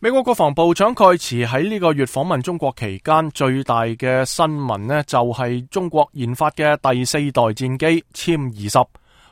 美國國防部長蓋茨喺呢個月訪問中國期間，最大嘅新聞呢，就係中國研發嘅第四代戰機殲20。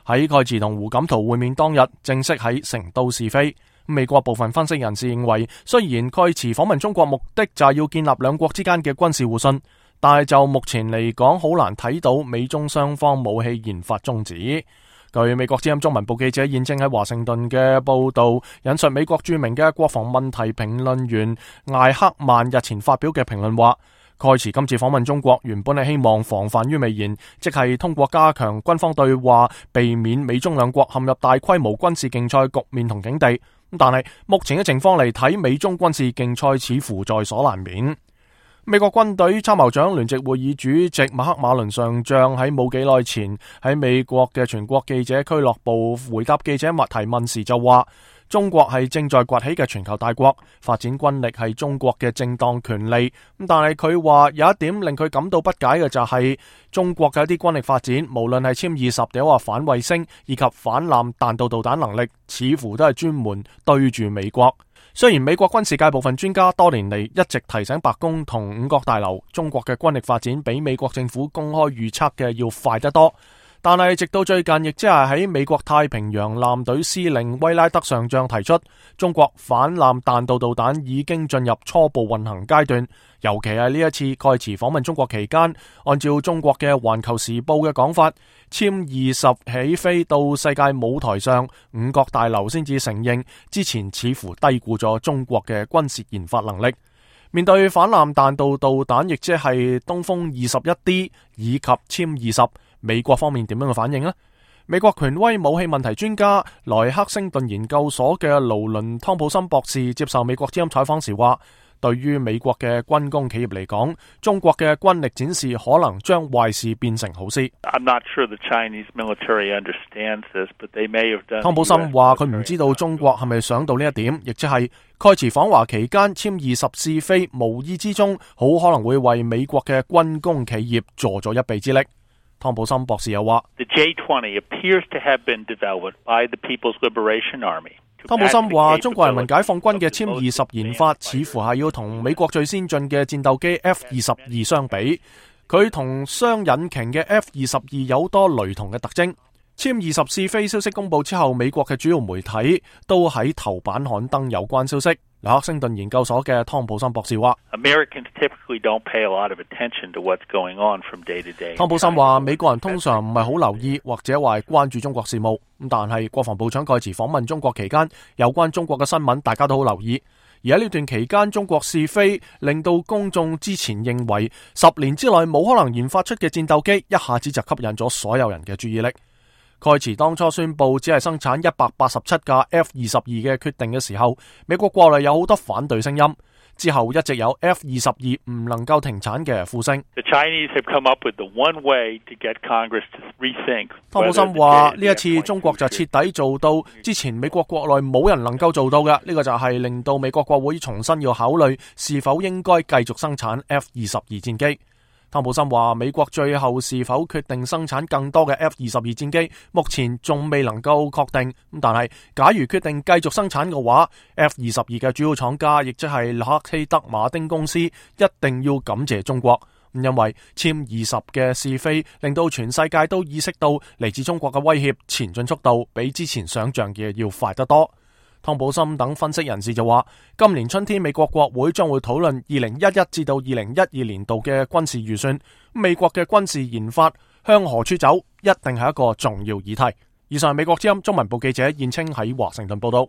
喺蓋茨同胡錦濤會面當日，正式喺成都試飛。美國部分分析人士認為，雖然蓋茨訪問中國目的就係要建立兩國之間嘅軍事互信，但係就目前嚟講，好難睇到美中雙方武器研發終止。據美國之音中文部記者現正喺華盛頓嘅報道，引述美國著名嘅國防問題評論員艾克曼日前發表嘅評論話，蓋茨今次訪問中國原本係希望防範於未然，即係通過加強軍方對話，避免美中兩國陷入大規模軍事競賽局面同境地。但係目前嘅情況嚟睇，美中軍事競賽似乎在所難免。美國軍隊參謀長聯席會議主席麥克馬倫上將喺冇幾耐前喺美國嘅全國記者俱樂部回答記者提問時就話，中國係正在崛起嘅全球大國，發展軍力係中國嘅正當權利。但係佢話有一點令佢感到不解嘅就係中國嘅一啲軍力發展，無論係殲20定話反衛星以及反艦彈道導彈能力，似乎都係專門對住美國。雖然美國軍事界部分專家多年嚟一直提醒白宮同五角大樓，中國嘅軍力發展比美國政府公開預測嘅要快得多，但係直到最近，亦即係喺美國太平洋艦隊司令威拉德上將提出，中國反艦彈道導彈已經進入初步運行階段。尤其係呢一次蓋茨訪問中國期間，按照中國嘅《環球時報》嘅講法，殲20起飛到世界舞台上，五角大樓先至承認之前似乎低估咗中國嘅軍事研發能力。面對反艦彈道導彈，亦即係東風21D 以及殲20，美國方面點樣嘅反應呢？美國權威武器問題專家萊克星頓研究所嘅勞倫湯普森博士接受美國之音採訪時話，對於美國嘅軍工企業嚟講，中國嘅軍力展示可能將壞事變成好事。湯普森話佢唔知道中國係咪想到呢一點，亦即係蓋茨訪華期間殲20試飛，無意之中好可能會為美國嘅軍工企業助咗一臂之力。湯普森博士又話，湯普森話，中國人民解放軍嘅殲20研發似乎係要同美國最先進嘅戰鬥機 F-22相比，佢同雙引擎嘅 F-22有多雷同嘅特徵。殲20試飛消息公布之後，美國嘅主要媒體都喺頭版刊登有關消息。萊克星頓研究所嘅湯普森博士話，湯普森話，美國人通常唔係好留意或者話係關注中國事務，但係國防部長蓋茨訪問中國期間，有關中國嘅新聞大家都好留意。而喺呢段期間，中國試飛令到公眾之前認為10年之內冇可能研發出嘅戰鬥機，一下子就吸引咗所有人嘅注意力。蓋茨當初宣布只係生產187架 F-22嘅決定嘅時候，美國國內有好多反對聲音，之後一直有 F-22唔能夠停產嘅呼聲。湯普森話，呢一次中國就徹底做到之前美國國內冇人能夠做到嘅，呢個就係令到美國國會重新要考慮是否應該繼續生產 F-22戰機。湯普森話，美國最後是否決定生產更多嘅 F-22戰機，目前仲未能夠確定。但係假如決定繼續生產嘅話， F-22嘅主要廠家，亦即係洛克希德馬丁公司，一定要感謝中國，因為殲20嘅試飛令到全世界都意識到嚟自中國嘅威脅前進速度比之前想象嘅要快得多。湯普森等分析人士就話，今年春天美國國會將會討論2011至到2012年度嘅軍事預算，美國嘅軍事研發向何處走，一定係一個重要議題。以上係美國之音中文部記者燕青喺華盛頓報道。